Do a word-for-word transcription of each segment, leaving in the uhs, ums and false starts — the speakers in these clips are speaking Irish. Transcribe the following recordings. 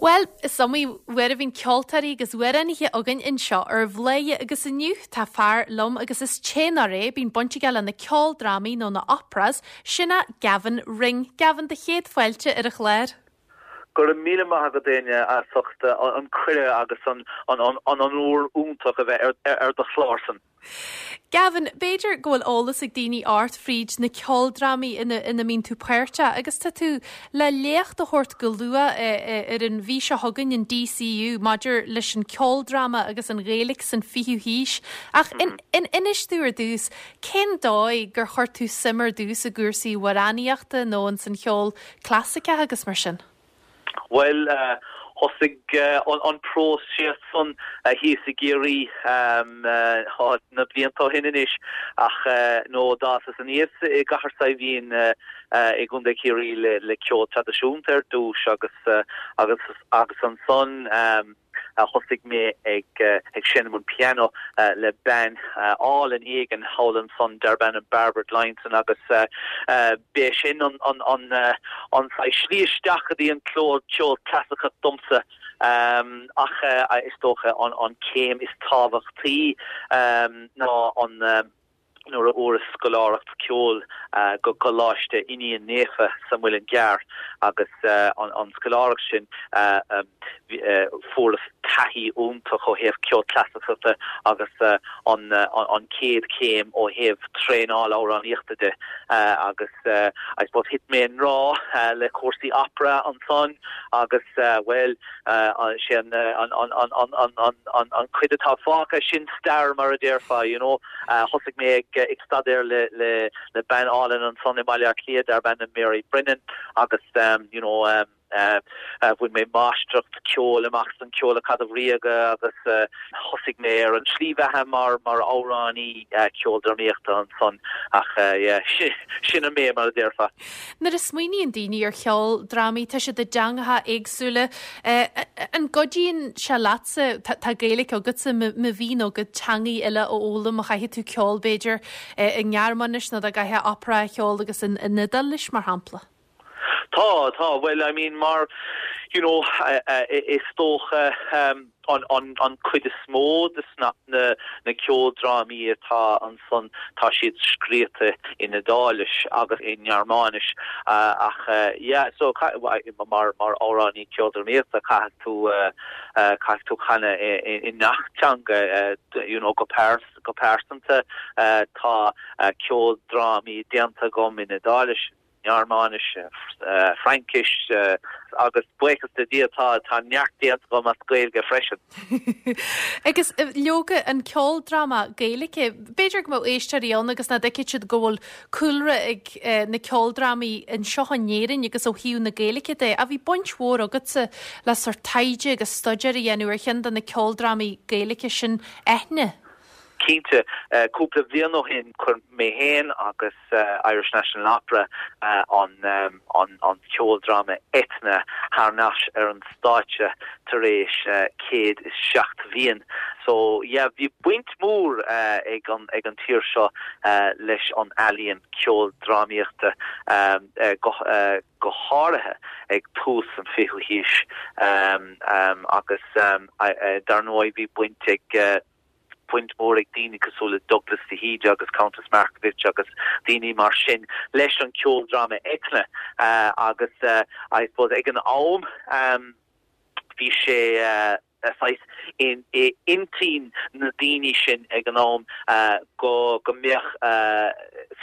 Bhuel, is iomaí uair a bhíonn ceoltóirí agus amhránaithe againn anseo ar Bhladhaire agus inniu tá fear liom agus is téanár é bíonn baint aige le na ceoldrámaí nó na operas, sin é Gavin Ring. Gavin do chéad fáilte ar an chlár. Go raibh míle maith agat Áine as ucht an cuireadh agus an an an onóir iontach a bheith ar ar do chlársan. Gavin, b'fhéidir go bhfuil eolas ag daoine ort fríd na ceoldrámaí ina ina mbíonn tú páirteach agus tá tú le léacht a thabhairt go luath ar an mhí seo chugainn in DCU maidir leis an ceoldráma agus an Ghaeilge san fichiú haois. Ach in, in inis tú ar dtús, cén dóigh gur chuir tú suim ar dtús i gcúrsaí amhránaíochta nó an san cheol clasaiceach agus mar sin? Well uh, thosaigh uh, an, an próiseas san uh, thíos i gCiarraí um, uh, na blianta ó shin anois ach uh, nó d'fhásas aníos i gCathair Saidhbhín uh, uh, i gContae Chiarraí le, le ceol traidisiúnta ar dtús agus uh, agus agus ansan um, thosaigh mé ag uh, ag seinm an piano uh, le bean uh, álainn éigin thall ansan darb ainm Barbara Leinson agus uh, uh, b'é sin an an an uh, an slí isteach go dtí an ceol ceol clasaiceach domsa um, ach uh, is dócha an an céim is tábhachtaí um, ná an um, nuair a fuaireas scoláireacht ceoil uh, go Coláiste Fhinian Naofa sa Mhuileann gCearr agus uh, an, an scoláireacht sin uh, um, uh, fuaireas taithí iontach ó thaobh ceol clasaiceach agus uh, an, uh, an, an chéad chéim ó thaobh traenáil amhránaíochta de uh, agus uh, I suppose thit mé i ngrá uh, le cúrsaí opera ansan agus uh, well uh, sin uh, an, an, an, an, an, an, an, an chuid atá fágtha sin stair mar a déarfá you know uh, thosaigh mé ag ag staidéar le le le bean álainn ansan i Baile Átha Cliath darb ainm Mary Brennan agus um, you know um, uh, uh, bhain mé máistreacht ceoil amach san Ceolacadamh Ríoga agus uh, thosaigh mé ar an slí bheatha mar mar amhránaí uh, ceoldrámaíochta ansan ach uh, yeah, sin an mé mar a déarfá. Nuair a smaoiníonn daoine ar cheoldrámaí tá siad i dteangacha éagsúla uh, an gcuidíonn sé leatsa tá Gaeilge agatsa má bhíonn agat teangaí eile a fhoghlaim a chaithfidh tú ceol b'fhéidir i nGearmáinis nó a gcaithfidh opera cheol agus in in Iodáilis mar shampla. Tá tá well I mean mar you know uh, uh, is dócha um, an an an chuid is mó de na na na ceoldrámaí atá ansan tá siad scríofa in Iodáilis agus i nGearmáinis uh, ach uh, yeah so mar mar amhránaí ceoldrámaíochta caithfidh tú uh, uh, caithfidh tú canadh i ngach teanga uh, you know go pers go pearsanta uh, tá uh, ceoldrámaí déanta agam in Iodáilis Gearmáinis uh, Fraincis uh, agus buíochas le Dia tá tá neart déanta agam as Gaeilge freisin. Agus leoga an ceoldráma Gaeilge, b'fhéidir go mbeadh éisteoirí ann agus nach dtuigeann siad go bhfuil cúlra ag na ceoldrámaí anseo in Éirinn agus ó thaobh na Gaeilge de, a bhí baint mhór agatsa le sórt taighde agus staidéar a dhéanamh ar cheann de na ceoldrámaí Gaeilge sin Eithne. Cinnte uh, cúpla bliain ó shin chuir mé féin agus uh, Irish National Opera uh, an, um, an, an ceoldráma Eithne thar n-ais ar an stáitse tar éis uh, céad is seacht bliain. So yeah, bhí baint mór uh, ag an ag an tír seo uh, leis an ealaíon ceoldrámaíochta um, uh, go, uh, go háirithe ag tús an fichiú haois um, um, agus um, uh, dar ndóigh bhí baint ag uh, baint mór ag daoine cosúil le Douglas de hÍde agus Countess Markievicz agus daoine mar sin leis an ceoldráma Eithne uh, agus uh, I suppose ag an am um, bhí sé uh, saghas in i intinn na daoine sin ag an am uh, go go mbeadh uh,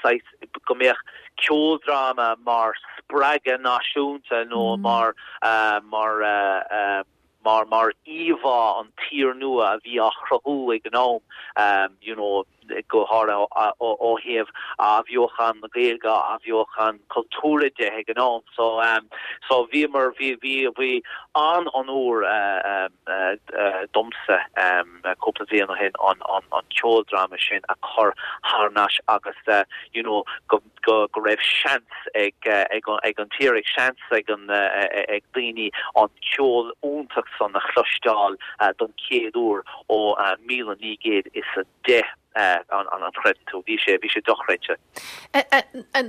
saghas go mbeadh ceoldráma mar spreagadh náisiúnta nó mm. mar uh, mar uh, uh, mar mar íomhá an tír nua a bhí á chruthú ag an am um, you know go háirithe ó thaobh athbheochan na Gaeilge athbheochan cultúrtha de ag an am so um, so bhí mar bhí bhí bhí an onóir uh, um, uh, uh, domsa um, cúpla bliain ó shin an an an ceoldráma sin a chur thar n-ais agus uh, you know go go go raibh seans ag uh, ag ag an tír ag seans ag an uh, ag daoine an ceol iontach san a chloisteáil uh, don chéad uair ó uh, míle naoi gcéad is a deich. an an chreideann tú bhí sé bhí sé dochreidte.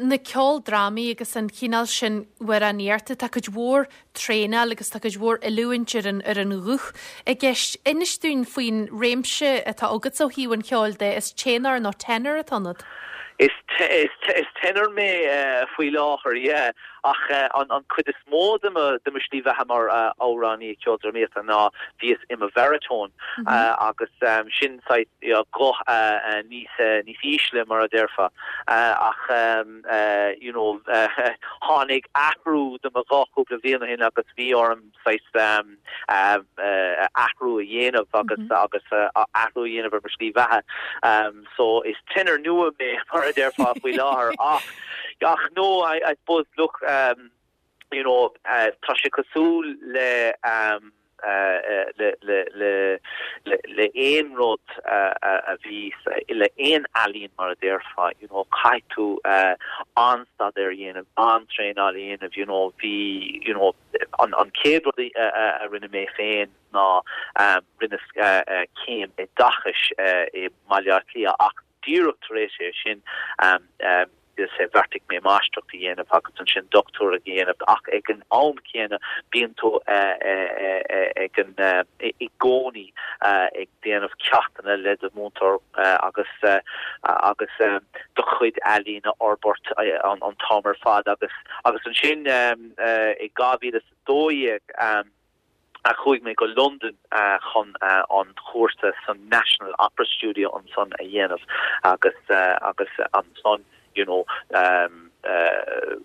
Na ceoldrámaí agus an cineál sin amhránaíochta tá cuid mhór traenáil agus tá cuid mhór oiliúint ar an ar an ghuth i gceist inis dúinn faoin réimse atá agat ó thaobh an cheoil de is téanar nó tenor atá ionat. Is te, is, te, is tenor mé uh, faoi láthair yeah. ach uh, an, an cuid is mó de mo de mo shlí bheatha mar uh, amhránaí ceoldrámaíochta ná bhíos i mo bharitone mm -hmm. uh, agus um, sin yeah, guth uh, uh, níos uh, níos ísle mar a déarfá uh, ach um, uh, you know uh, tháinig athrú de mo ghuth cúpla bliain ó shin agus bhí orm um, um, uh, athrú a dhéanamh agus mm -hmm. agus uh, athrú a dhéanamh ar mo shlí bheatha um, so is tenor nua mé mar a déarfá faoi láthair ach ach no I, I suppose look um, you know uh, tá sé cosúil le um, uh, uh, le le le le le aon rud uh, uh, a bhí le aon ealaín mar a déarfá you know caithfidh tú uh, an-staidéar a dhéanamh an-traenáil a dhéanamh you know bhí you know an an chéad rud a, a, a rinne mé féin ná um, rinne uh, uh, céim oideachais uh, i Baile Átha Cliath ach díreach tar éis é sin um, um, is bheartaigh mé máistreacht a dhéanamh agus ansin dochtúireacht a dhéanamh ach ag an am céanna bíonn tú ag an i gcónaí ag déanamh ceachtanna le do mhúinteoir agus agus do chuid ealaíne a fhorbairt an an t-am ar fad agus agus ansin i dhá mhíle dó dhéag a chuaigh mé go London uh, chun uh, an chúrsa san National Opera Studio ansan a dhéanamh agus uh, agus ansan you know um, uh,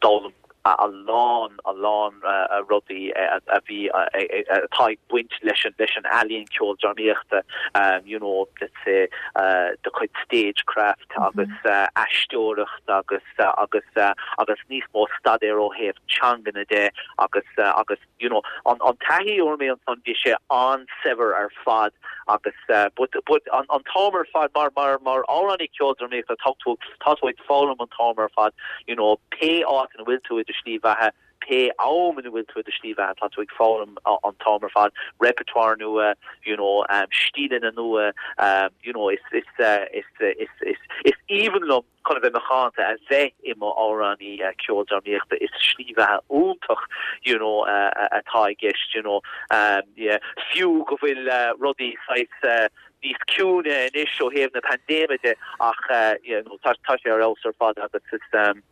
d'fhoghlaim a lán a lán uh, rudaí a bhí atá ag baint leis an leis an ealaín ceoldrámaíochta um, you know let's say uh, do chuid stagecraft mm -hmm. agus uh, aisteoireacht agus uh, agus uh, agus níos mó staidéar ó thaobh teangan de agus uh, agus you know an an taithí a fuair mé ansan bhí sé an-saibhir ar fad agus uh, but but an an t-am ar fad mar mar mar amhránaí ceoldrámaíochta tá tú tá tú ag foghlaim an t-am ar fad you know pé áit ina bhfuil tú i do shlí bheatha pé am ina bhfuil tú i do shlí bheatha tá tú ag foghlaim an t-am ar fad repertoire nua you know um, stíleanna nua um, you know is is uh, is is is is aoibhinn liom chun a bheith macánta a bheith i mo amhránaí uh, ceoldrámaíochta is slí bheatha iontach you know uh, atá i gceist you know um, yeah, fiú go bhfuil uh, rudaí saghas uh, níos ciúine anois ó thaobh na paindéime de ach uh, you know, tá tá sé ar fheabhas ar fad agus is um,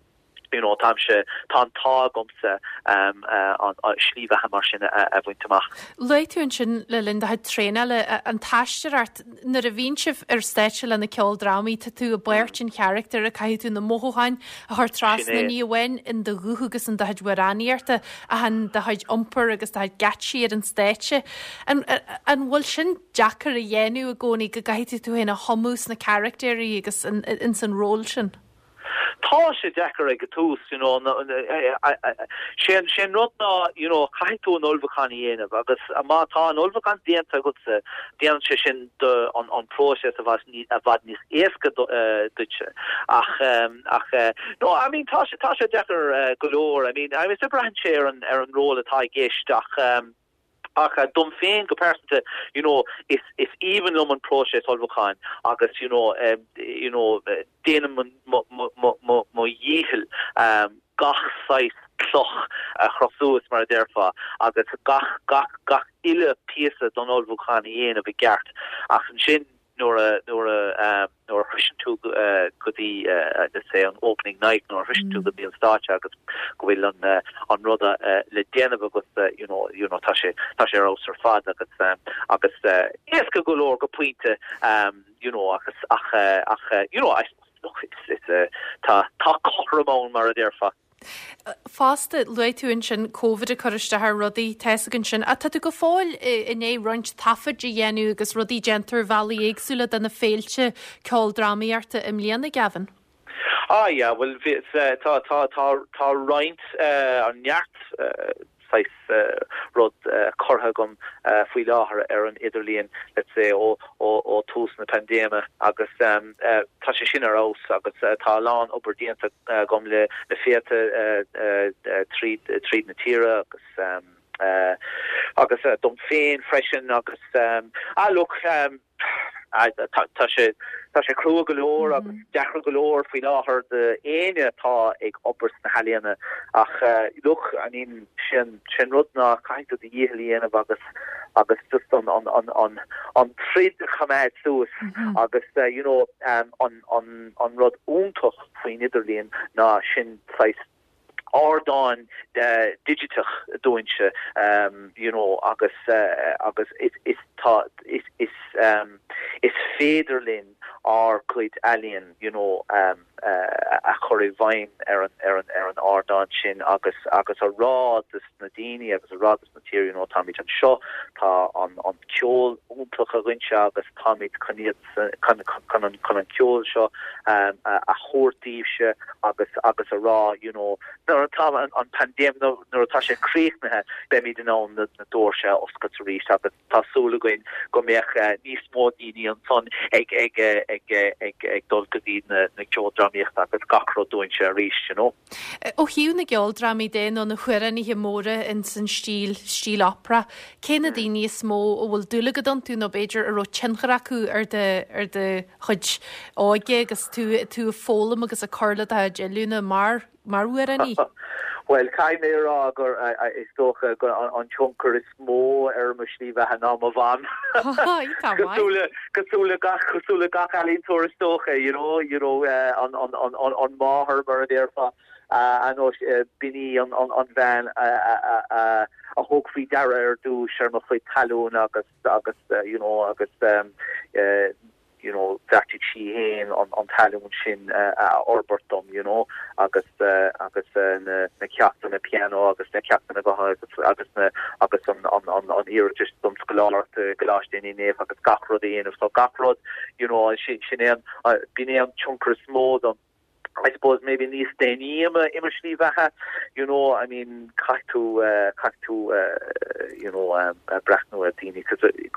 you know táimse tá an t-ádh agamsa um, uh, an uh, slí bheatha mar sin a, a bhaint amach. Luaigh tú ansin le linn do chuid traenála an t-aisteoireacht nuair a bhíonn sibh ar stáitse le na ceoldrámaí tá tú i bpáirt an charachtar a caithfidh tú na mothúcháin a chur trasna ní amháin in do ghuth agus in do chuid amhránaíochta ach in do chuid iompair agus do chuid geáitsí ar an stáitse. An, an bhfuil sin deacair a dhéanamh i gcónaí go gcaithfidh tú féin a thumadh sna carachtair agus in, in san ról sin? Tá sé deacair ag an tús you know sé sé rud ná you know caithfidh tú an ullmhúchán a dhéanamh agus má tá an ullmhúchán déanta agat déanann sé sin de an an próiseas a bhfad i bhfad níos éasca duitse ach um, ach uh, no I mean tá sé tá sé deacair uh, go leor I mean I mean braitheann sé ar an ar an ról atá i gceist ach um, ach uh, dom féin go pearsanta you know is is aoibhinn liom an próiseas ullmhúcháin agus you know um, you know déanaim mo dhícheall um, gach saghas cloch a chur suas mar a déarfá agus gach gach gach uile píosa don ullmhúchán a dhéanamh i gceart ach ansin nuair a nuair a um, nuair a shroiseann tú uh, go dtí uh, let's say an opening night nuair a shroiseann tú go dtí an stáitse agus go bhfuil an uh, an rud uh, le déanamh agus uh, you know you know tá sé tá sé ar ar fad agus um, agus uh, éasca go leor go pointe um, you know agus ach uh, ach uh, you know I look it's, it's uh, tá tá cothrom mar a déarfá. Fosta luaigh tú ansin COVID ag cur isteach ar rudaí tá a fhios ansin a tá tú go fóill i ndiaidh roinnt taifead a dhéanamh agus rudaí déantar bealaí éagsúla do na féilte ceoldrámaíochta i mbliana Gavin. Ah yeah, well uh, tá tá tá tá roinnt uh, an neart uh, saghas uh, rud uh, curtha agam uh, faoi láthair ar an idirlíon let's say ó ó ó tús na paindéime agus um, uh, tá sé sin ar fheabhas agus uh, tá lán obair déanta uh, agam le le féilte uh, uh, uh, tríd tríd na tíre agus um, uh, agus uh, dom féin freisin agus um, ah look um, tá sé tá sé crua go leor agus mm -hmm. deacair go leor faoi láthair d'éinne atá ag obair sna healaíona ach uh, look I mean sin sin rud ná caithfidh tú do dhícheall a dhéanamh agus agus just an an an an an troid a choimeád suas mm -hmm. agus uh, you know um, an an an rud iontach faoin idirlíon ná sin saghas ardán uh, digiteach dúinse um, you know agus uh, agus is is tá is is um, is féidir linn ár gcuid ealaíon you know um, uh, a chur i bhfeidhm ar an ar an ar an ardán sin agus agus a rá dos na daoine agus a rá dos na tír you know táimid anseo tá an an ceol iontach againse agus táimid chun chun chun chun an ceol seo um, a, a thabhairt daoibhse agus agus a rá you know nuair atá an, an paindéim nuair atá sé críochnaithe beimid in ann na, na doirse a oscailt arís agus tá súil againn go mbeadh uh, níos mó daoine ansan ag ag ag ag ag dul go dtí na na ceoldrámaíochta agus gach rud dúinse arís you know. Ó thaobh na gceoldrámaí de nó na hamhránaithe móra in san stíl stíl opera, cé na daoine is mó a bhfuil dúil agat iontu nó b'fhéidir a raibh tionchar acu ar do ar do chuid óige agus tú tú ag foghlaim agus ag cur le do oiliúint mar mar amhránaí. Well caithfidh mé rá gur is dócha gur an tionchar is mó ar mo shlí bheatha ná mo mham. Cosúil le gach cosúil le gach ealaíontóir is dócha you know you know uh, an an an an an máthair mar a déarfá uh, an uh, b'in í an an an bhean a a thug faoi deara ar dtús ar mo chuid talún agus agus uh, you know agus um, uh, you know bheartaigh sí féin an an talún sin uh, a fhorbairt dom you know agus uh, agus uh, na na ceachtanna piano agus na ceachtanna gutha agus agus na agus an an an an iarratas don scoláireacht Coláiste Naomh agus gach rud éanamh so gach rud you know sin sin é b'in é an tionchar is mó dom I suppose maybe níos déanaí i mo shlí bheatha you know I mean caithfidh tú uh, caithfidh tú uh, you know um, uh, breathnú ar daoine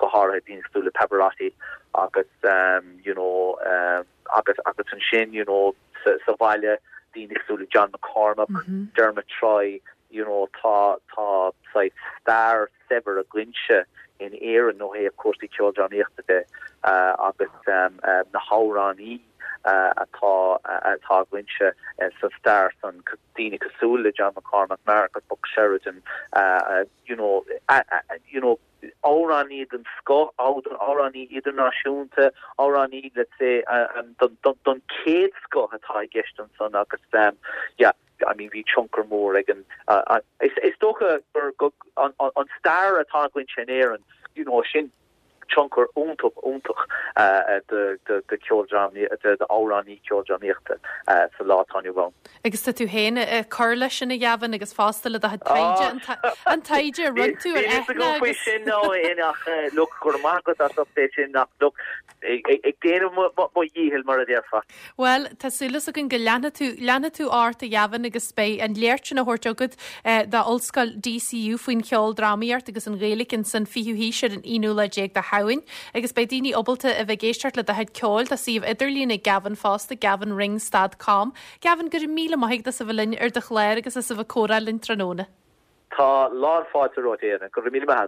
go háirithe daoine cosúil le Pavarotti agus um, you know um, agus agus ansin you know sa, sa bhaile daoine cosúil le John McCormack mm -hmm. Dermot Troy you know tá tá stair saibhir againse in Éirinn ó thaobh cúrsaí ceoldrámaíochta de uh, agus um, uh, na hamhránaithe uh, atá atá againse uh, sa stair san daoine cosúil le John McCormack mar agus Buck Sheridan uh, uh, you know uh, uh, you know amhránaí den scoth amhránaí idirnáisiúnta amhránaí let's say uh, um, don, don, don chéad scoth atá i gceist ansan agus um, yeah I mean bhí tionchar mór ag an uh, uh, is, is dócha gur an, an, an stair atá againse in Éirinn you know sin tionchar iontach iontach uh, de de de ceoldrámaí de de amhránaí ceoldrámaíochta uh, sa lá atá inniu ann. Agus tá tú féin cur leis sin a Gavin agus fosta le do an taighde run tú ar sin nó ach look gur maith as é sin nach look ag déanamh mo dhícheall mar a déarfá. Well tá súil againn go leanfaidh tú leanfaidh tú ort a Gavin agus beidh an léacht sin á thabhairt agat do Ollscoil DCU faoin cheoldrámaíocht agus an Ghaeilge san fichiú haois ar an aonú lá déag de Shamhain, agus beidh daoine ábalta a bheith ag éisteacht le do chuid ceoil tá suíomh idirlín ag Gavin fosta gavinrings.com. Gavin go raibh míle maith agat as a bheith linn ar do chlár agus as a bheith ag comhrá linn tráthnóna. Tá lán fáilte romhat go raibh míle maith.